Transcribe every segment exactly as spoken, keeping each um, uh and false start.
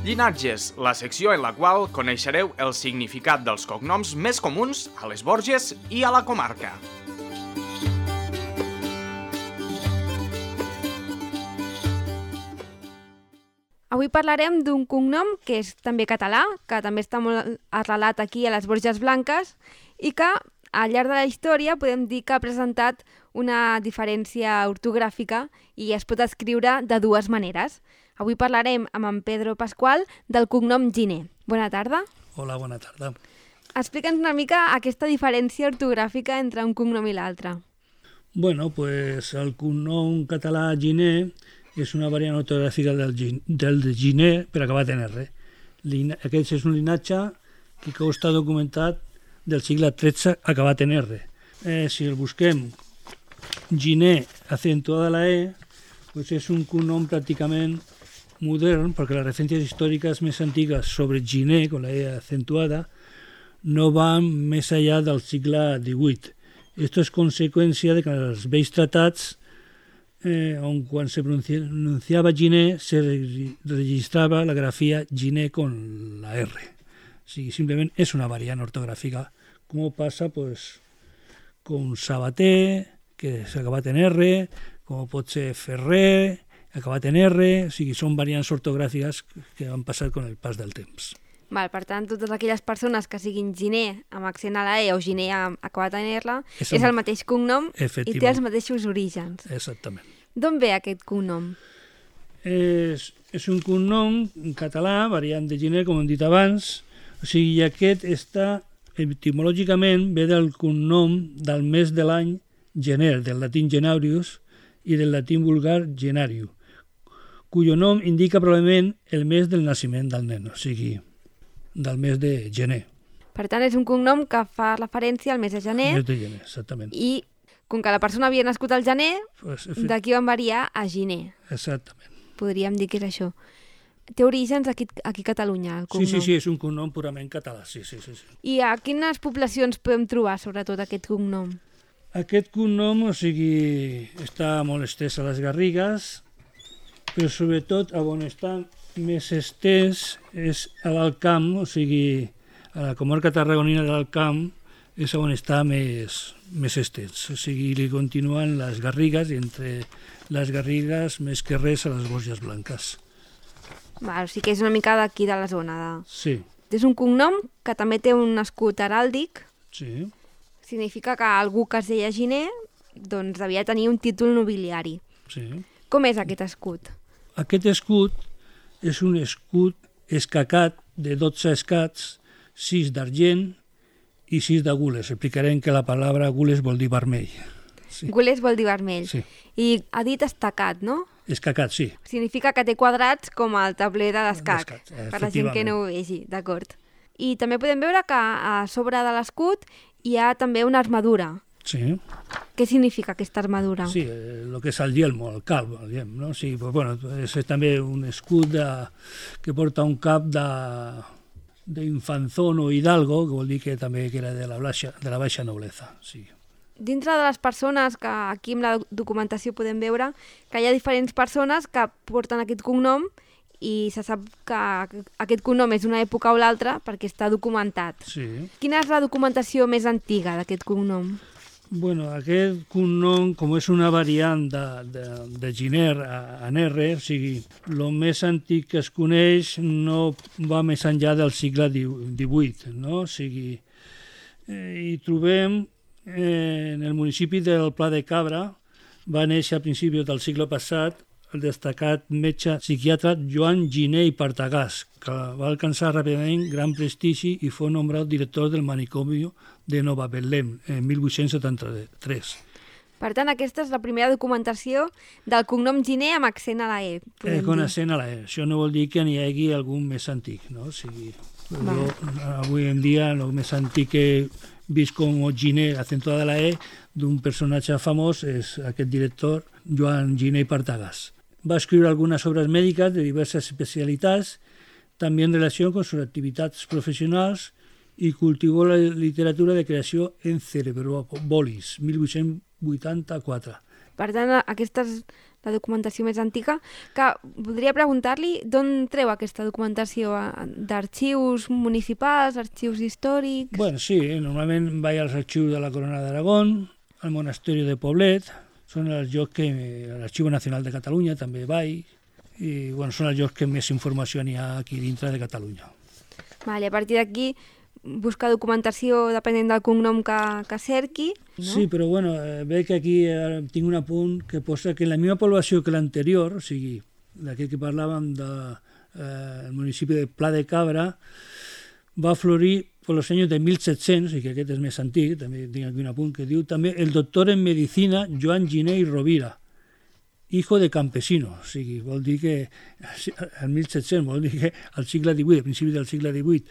Llinatges, la secció en la qual coneixereu el significat dels cognoms més comuns a les Borges i a la comarca. Avui parlarem d'un cognom que és també català, que també està molt arrelat aquí a les Borges Blanques i que al llarg de la història podem dir que ha presentat una diferència ortogràfica i es pot escriure de dues maneres. Avui parlarem amb en Pedro Pascual del cognom Giner. Bona tarda. Hola, bona tarda. Explica'ns una mica aquesta diferència ortogràfica entre un cognom i l'altre. Bueno, pues el cognom català Giner és una variant ortogràfica del, del de Giner per acabat en R. Aquest és un linatge que està documentat del segle tretze acabat en R. Eh, si el busquem Giner acentuada la E, pues és un cognom pràcticament modern, perquè les referències històriques més antigues sobre Giner, con la E acentuada, no van més allà del segle divuit. Esto es conseqüència de que en els vells tratats, eh, on quan se pronunciava Giner, se registrava la grafia Giner con la R. O sigui, simplement és una variant ortogràfica, com passa pues, con Sabater, que s'ha acabat en R, com pot ser Ferrer, acabat en R, o sigui, són variants ortogràfiques que han passat amb el pas del temps. Val, per tant, totes aquelles persones que siguin Giner amb accent a la E o Giner amb acabat en R és el, és el mateix cognom i té els mateixos orígens. Exactament. D'on ve aquest cognom? És, és un cognom en català, variant de Giner, com hem dit abans, o sigui, aquest està, etimològicament, ve del cognom del mes de l'any gener, del latín genarius i del latí vulgar genariu, cuyo nom indica probablement el mes del naixement del nen, o sigui, del mes de gener. Per tant, és un cognom que fa referència al mes de gener. Mes de gener, exactament. I com que la persona havia nascut al gener, pues, d'aquí van variar a Giner. Exactament. Podríem dir que és això. Té orígens aquí, aquí a Catalunya, el cognom. Sí, sí, sí, és un cognom purament català, sí, sí, sí. sí. I a quines poblacions podem trobar, sobretot, aquest cognom? Aquest cognom, o sigui, està molt estès a les Garrigues, però sobretot on està més estès és a l'Alt Camp, o sigui, a la comarca tarragonina de l'Alt Camp és on està més, més estès. O sigui, li continuen les Garrigues i entre les Garrigues més que res a les Borges Blanques. Val, o sigui que és una mica d'aquí de la zona. De... Sí. És un cognom que també té un escut heràldic. Sí. Significa que algú que es deia Giner doncs devia tenir un títol nobiliari. Sí. Com és aquest escut? Aquest escut és un escut escacat de dotze escats, sis d'argent i sis de gules. Explicarem que la paraula gules vol dir vermell. Sí. Gules vol dir vermell. Sí. I ha dit estacat, no? Escacat, sí. Significa que té quadrats com el tabler de l'escac, per la gent que no ho vegi, d'acord. I també podem veure que a sobre de l'escut hi ha també una armadura. Sí. Què significa aquesta armadura? Sí, el eh, que és el yelmo, el calvo, el yelmo, no? Sí, pues, bueno, és també un escut de, que porta un cap de d'infanzón o hidalgo, que vol dir que també que era de la baixa, de la baixa nobleza. Sí. Dintre de les persones que aquí en la documentació podem veure que hi ha diferents persones que porten aquest cognom i se sap que aquest cognom és d'una època o l'altra perquè està documentat. Sí. Quina és la documentació més antiga d'aquest cognom? Bueno, aquest cognom, com és una variant de, de, de Giner en R, o sigui, el més antic que es coneix no va més enllà del segle divuit, no? O sigui, eh, hi trobem eh, en el municipi del Pla de Cabra, va néixer a principis del segle passat el destacat metge psiquiatre Joan Giner i Partagàs, que va alcançar ràpidament gran prestigi i fou nombrat director del manicomi de Nova Betlem en mil vuit-cents setanta-tres. Per tant, aquesta és la primera documentació del cognom Giner amb accent a la E. Eh, con accent a la E. Això no vol dir que n'hi hagi algun més antic, no? O sigui, jo, avui en dia el més antic que he vist com Giner acentuada a la E d'un personatge famós és aquest director Joan Giner i Partagàs. Va escriure algunes obres mèdiques de diverses especialitats, també en relació amb sus activitats professionals, i cultivó la literatura de creació en Cerebrobolis, mil vuit-cents vuitanta-quatre. Per tant, aquestes la documentació més antiga, que voldria preguntar-li d'on treu aquesta documentació, d'arxius municipals, arxius històrics... Bueno, sí, normalment vaig als arxius de la Corona d'Aragón, al Monasteri de Poblet, són els llocs que... l'Arxiu Nacional de Catalunya també vaig, i bueno, són els llocs que més informació n'hi ha aquí dintre de Catalunya. Vale, a partir d'aquí, buscar documentació depenent del cognom que, que cerqui. No? Sí, però bueno, veig que aquí tinc un apunt que posa que en la misma població que l'anterior, o sigui, d'aquest que parlàvem del eh, municipi de Pla de Cabra, va florir per els anys de mil set-cents, i que aquest és més antic, també tinc aquí un apunt que diu també el doctor en medicina Joan Giner i Rovira, hijo de campesino, o sigui, vol dir que el mil set-cents, vol dir que al segle divuit, a principis del segle divuit,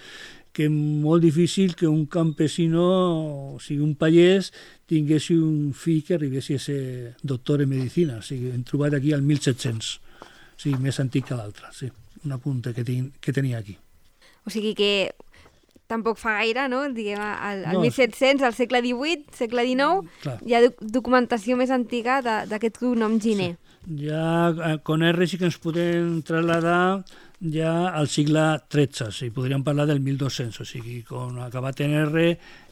que és molt difícil que un campesino, o sigui, un pagès, tingués un fill que arribés a ser doctor en medicina. O sigui, hem trobat aquí el mil set-cents, o sigui, més antic que l'altre, sí, un apunt que, tinc, que tenia aquí. O sigui que tampoc fa gaire, no? Diguem, al, al No, mil set-cents, al segle divuit, segle dinou, clar. Hi ha doc documentació més antiga d'aquest cognom Giner. Sí. Ja con R sí que ens podem trasladar ja al segle tretze, o sigui, podríem parlar del mil dos-cents, o sigui, con acabat en R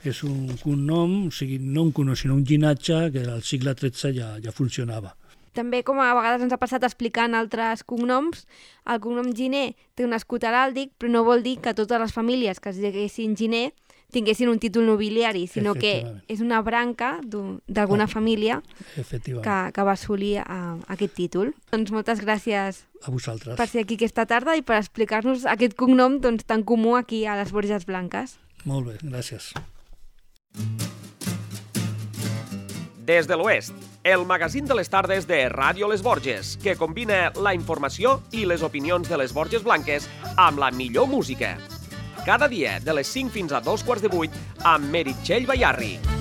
és un cognom, o sigui, no un cognom, sinó un llinatge que al segle tretze ja, ja funcionava. També, com a vegades ens ha passat explicant altres cognoms, el cognom Giner té un escut heràldic, però no vol dir que totes les famílies que es diguessin Giner tinguessin un títol nobiliari, sinó que és una branca d'alguna ah, família que, que va assolir uh, aquest títol. Doncs moltes gràcies a vosaltres per ser aquí aquesta tarda i per explicar-nos aquest cognom doncs, tan comú aquí a les Borges Blanques. Molt bé, gràcies. Des de l'Oest, el magazín de les tardes de Ràdio Les Borges, que combina la informació i les opinions de les Borges Blanques amb la millor música. Cada dia, de les cinc fins a dos quarts de vuit, amb Meritxell Bayarri.